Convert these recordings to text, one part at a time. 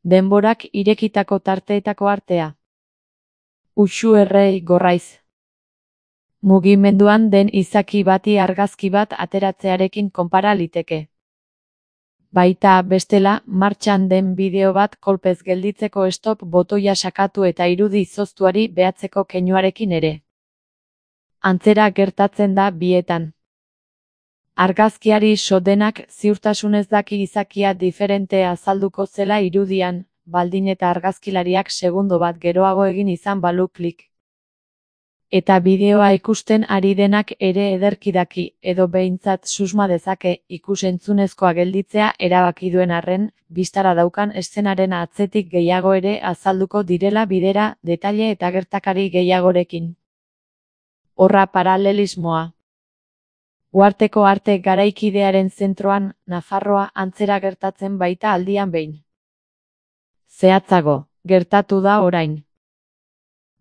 Denborak irekitako tarteetako artea. Uxu errei gorraiz. Mugimenduan den izaki bati argazki bat ateratzearekin konpara liteke. Baita, bestela, martxan den bideo bat kolpez gelditzeko stop botoia sakatu eta irudi izoztuari behatzeko keinuarekin ere. Antzera gertatzen da bietan. Argazkiari so denak ziurtasunez daki izakia diferente azalduko zela irudian, baldin eta argazkilariak segundo bat geroago egin izan balu klik. Eta bideoa ikusten ari denak ere ederki daki, edo behintzat susma dezake ikus-entzunezkoa gelditzea erabaki duen arren, bistara daukan eszenaren atzetik gehiago ere azalduko direla bidera, detaile eta gertakari gehiagorekin. Horra paralelismoa. Uharteko arte garaikidearen zentroan, Nafarroa antzera gertatzen baita aldian behin. Zehatzago, gertatu da orain.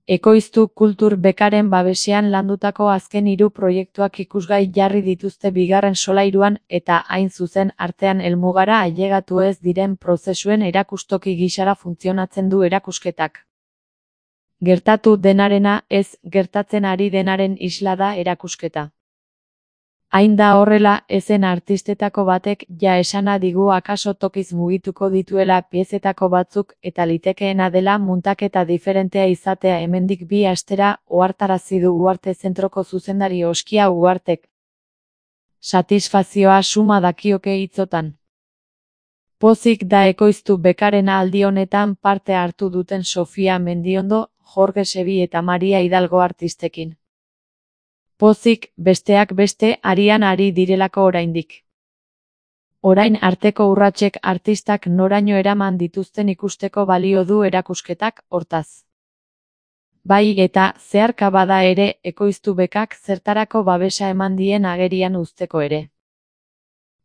Ekoiztu Kultur Bekaren babesean landutako azken 3 proiektuak ikusgai jarri dituzte bigarren solairuan eta hain zuzen artean helmugara ailegatu ez diren prozesuen erakustoki gisara funtzionatzen du erakusketak. Gertatu denarena ez gertatzen ari denaren isla da erakusketa. Hain da horrela, ezen artistetako batek ja esana digu akaso tokiz mugituko dituela piezetako batzuk eta litekeena dela muntaketa diferentea izatea hemendik 2 astera ohartarazi du Uharte Zentroko zuzendari Oskia Uhartek. Satisfazioa suma dakioke hitzotan. Pozik da ekoiztu Bekarena aldi honetan parte hartu duten Sofia Mendiondo, Jorge Sebi eta Maria Hidalgo artistekin. Pozik, besteak beste, arian ari direlako oraindik. Orain arteko urratsek artistak noraino eraman dituzten ikusteko balio du erakusketak, hortaz. Bai eta, zeharka bada ere, ekoiztu Bekak zertarako babesa eman dien agerian uzteko ere.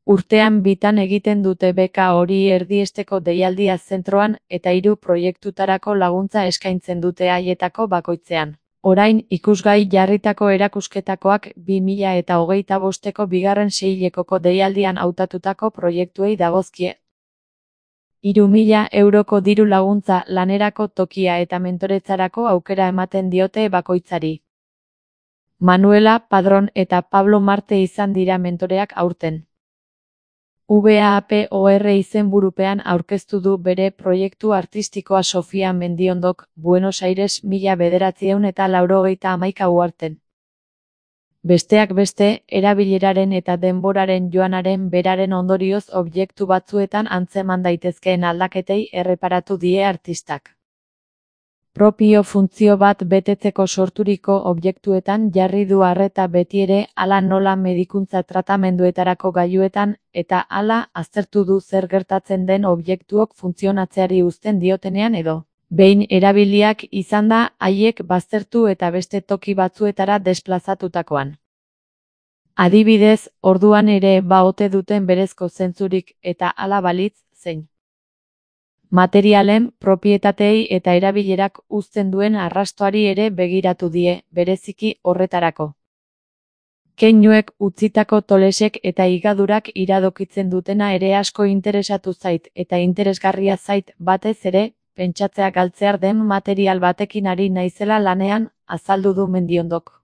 Urtean bitan egiten dute beka hori erdiesteko deialdia zentroan eta 3 proiektutarako laguntza eskaintzen dute haietako bakoitzean. Orain ikusgai jarritako erakusketakoak 2025ko bigarren seilekoko deialdian hautatutako proiektuei dagozkie. 3.000 euroko diru laguntza lanerako tokia eta mentoretzarako aukera ematen diote bakoitzari. Manuela Padron eta Pablo Marte izan dira mentoreak aurten. VAPOR izenburupean aurkeztu du bere proiektu artistikoa Sofia Mendiondok, Buenos Aires 1991 uharten. Besteak beste, erabileraren eta denboraren joanaren beraren ondorioz objektu batzuetan antzeman daitezkeen aldaketei erreparatu die artistak. Propio funtzio bat betetzeko sorturiko objektuetan jarri du arreta betiere hala nola medikuntza tratamenduetarako gailuetan eta hala aztertu du zer gertatzen den objektuok funtzionatzeari uzten diotenean edo. Behin erabiliak izan da haiek baztertu eta beste toki batzuetara desplazatutakoan. Adibidez, orduan ere baote duten berezko zentzurik eta hala balitz zein. Materialen, propietatei eta erabilerak uzten duen arrastoari ere begiratu die, bereziki horretarako. Keinuek utzitako tolesek eta higadurak iradokitzen dutena ere asko interesatu zait eta interesgarria zait batez ere, pentsatzea galtzear den material batekin ari naizela lanean, azaldu du Mendiondok.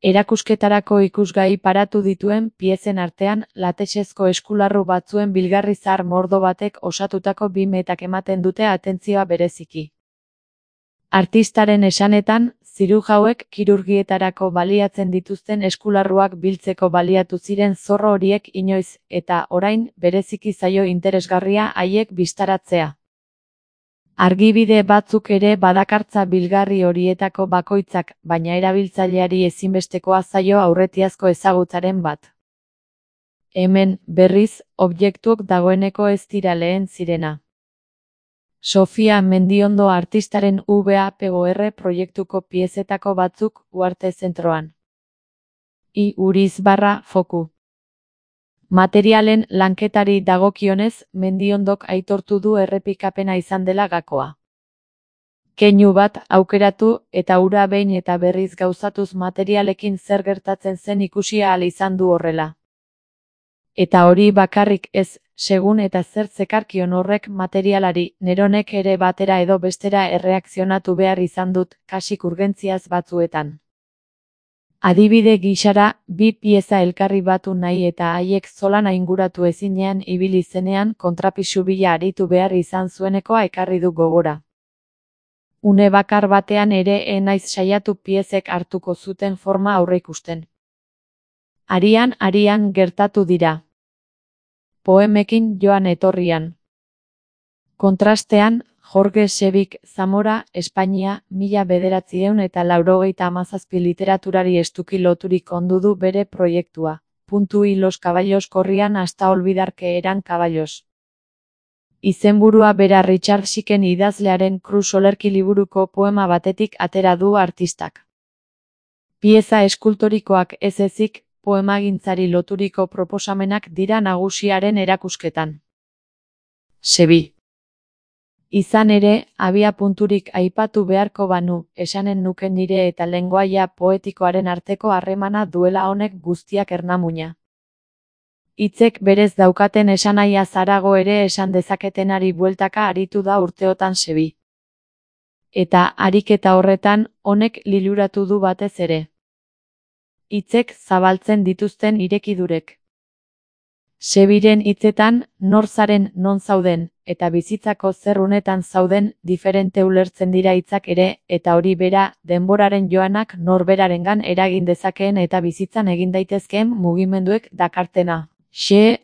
Erakusketarako ikusgai paratu dituen piezen artean, latexezko eskularru batzuen bilgarri zahar mordo batek osatutako 2 metak ematen dute atentzioa bereziki. Artistaren esanetan, zirujauek kirurgietarako baliatzen dituzten eskularruak biltzeko baliatu ziren zorro horiek inoiz, eta orain, bereziki zaio interesgarria haiek bistaratzea. Argibide batzuk ere badakartza bilgarri horietako bakoitzak, baina erabiltzaileari ezinbestekoa zaio aurretiazko ezagutzaren bat. Hemen, berriz, objektuok dagoeneko ez dira lehen zirena. Sofia Mendiondo artistaren VAPOR proiektuko piezetako batzuk Uharte Zentroan. _foku. Materialen lanketari dagokionez, Mendiondok aitortu du errepikapena izan dela gakoa. Keinu bat aukeratu eta hura behin eta berriz gauzatuz materialekin zer gertatzen zen ikusi ahal izan du horrela. Eta hori bakarrik ez, segun eta zer zekarkion horrek materialari, neronek ere batera edo bestera erreakzionatu behar izan dut, kasik urgentziaz batzuetan. Adibide gisara, bi pieza elkarri batu nahi eta haiek zolana inguratu ezinean ibili zenean kontrapisu bila aritu behar izan zuenekoa ekarri du gogora. Une bakar batean ere naiz saiatu piezek hartuko zuten forma aurreikusten. Arian gertatu dira. Poemekin joan etorrian. Kontrastean, Jorge Sebik Zamora, Espainia, 1987 literaturari estuki loturik ondu du bere proiektua. Y los caballos corrían hasta olvidar que eran caballos. Izenburua bera Richard Siken idazlearen Cruz olerki liburuko poema batetik atera du artistak. Pieza eskultorikoak ez ezik, poemagintzari loturiko proposamenak dira nagusiaren erakusketan. Sebi. Izan ere, abia punturik aipatu beharko banu, esanen nuke nire eta lengoaia poetikoaren arteko harremana duela honek guztiak ernamuina. Hitzek berez daukaten esanaia zarago ere esan dezaketenari bueltaka aritu da urteotan Sebi. Eta ariketa horretan, honek liluratu du batez ere. Hitzek zabaltzen dituzten irekidurek. Sebiren hitzetan, nor zaren non zauden, eta bizitzako zer unetan zauden, diferente ulertzen dira hitzak ere, eta hori bera, denboraren joanak norberarengan eragin dezakeen eta bizitzan egin daitezkeen mugimenduek dakartena.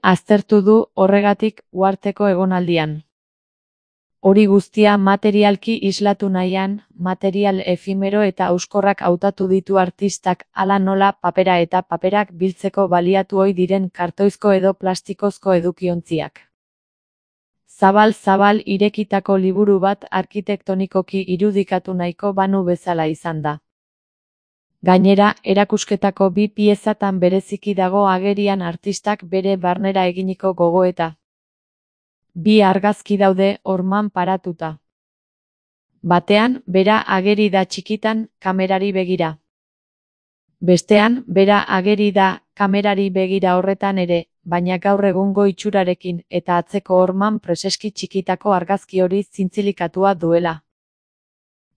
Aztertu du horregatik uharteko egonaldian. Hori guztia materialki islatu nahian, material efimero eta auskorrak hautatu ditu artistak, hala nola papera eta paperak biltzeko baliatu ohi diren kartoizko edo plastikozko edukiontziak. Zabal irekitako liburu bat arkitektonikoki irudikatu nahiko banu bezala izan da. Gainera, erakusketako bi piezatan bereziki dago agerian artistak bere barnera eginiko gogoeta. Bi argazki daude horman paratuta. Batean, bera ageri da txikitan, kamerari begira. Bestean, bera ageri da, kamerari begira horretan ere, baina gaur egungo itxurarekin eta atzeko horman preseski txikitako argazki hori zintzilikatua duela.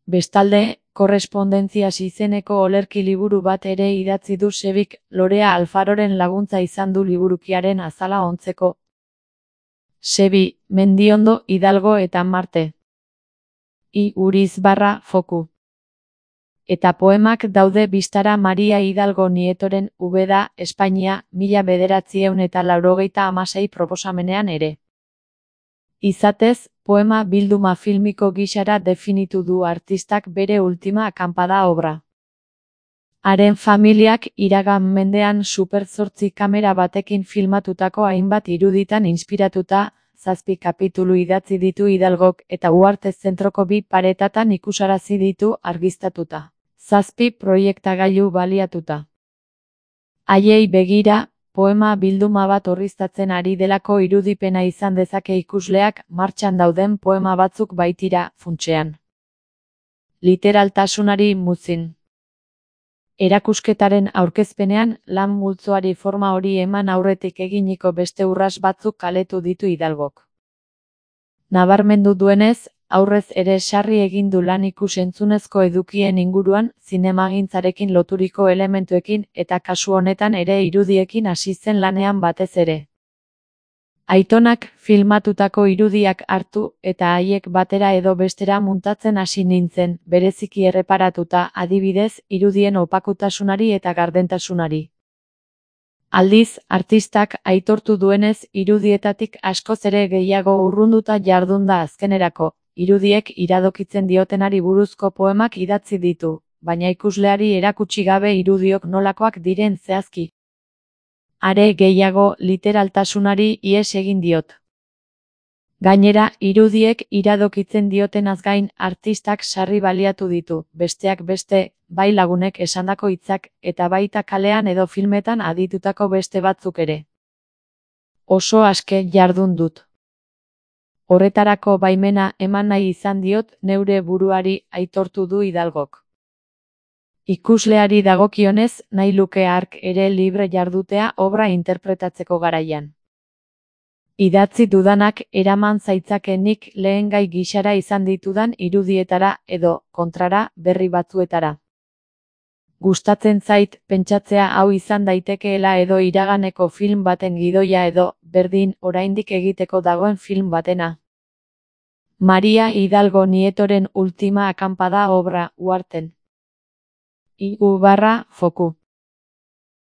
Bestalde, korrespondentzias izeneko olerki liburu bat ere idatzi du Sebik, Lorea Alfaroren laguntza izan du liburukiaren azala ontzeko. Sebi, Mendiondo, Hidalgo eta Marte. Foku. Eta poemak daude bistara Maria Hidalgo Nietoren Ubeda, Espainia, 1986 proposamenean ere. Izatez, poema bilduma filmiko gisara definitu du artistak bere ultima akanpada obra. Haren familiak iragan mendean Super 8 kamera batekin filmatutako hainbat iruditan inspiratuta, 7 kapitulu idatzi ditu Hidalgok eta Uharte zentroko bi paretatan ikusarazi ditu argiztatuta. 7 proiektagailu baliatuta. Haiei begira, poema bilduma bat orriztatzen ari delako irudipena izan dezake ikusleak, martxan dauden poema batzuk baitira, funtsean. Literaltasunari muzin. Erakusketaren aurkezpenean, lan multzoari forma hori eman aurretik eginiko beste urras batzuk kaletu ditu Hidalgok. Nabarmendu duenez, aurrez ere sarri egin du lan ikus-entzunezko edukien inguruan, zinemagintzarekin loturiko elementuekin eta kasu honetan ere irudiekin hasi zen lanean batez ere. Aitonak filmatutako irudiak hartu eta haiek batera edo bestera muntatzen hasi nintzen, bereziki erreparatuta, adibidez, irudien opakutasunari eta gardentasunari. Aldiz, artistak aitortu duenez irudietatik askoz ere gehiago urrunduta jardun da azkenerako, irudiek iradokitzen diotenari buruzko poemak idatzi ditu, baina ikusleari erakutsi gabe irudiok nolakoak diren zehazki. Are gehiago, literaltasunari ihes egin diot. Gainera, irudiek iradokitzen diotenaz gain artistak sarri baliatu ditu, besteak beste, bai lagunek esandako hitzak, eta baita kalean edo filmetan aditutako beste batzuk ere. Oso aske jardun dut. Horretarako baimena eman nahi izan diot neure buruari, aitortu du Hidalgok. Ikusleari dagokionez, nahi luke hark ere libre jardutea obra interpretatzeko garaian. Idatzi dudanak eraman zaitzakenik lehengai gixara izan ditudan irudietara edo, kontrara, berri batzuetara. Gustatzen zait, pentsatzea hau izan daitekeela edo iraganeko film baten gidoia edo, berdin, oraindik egiteko dagoen film batena. Maria Hidalgo Nietoren Ultima akampada obra, Uharten. I.U. Foku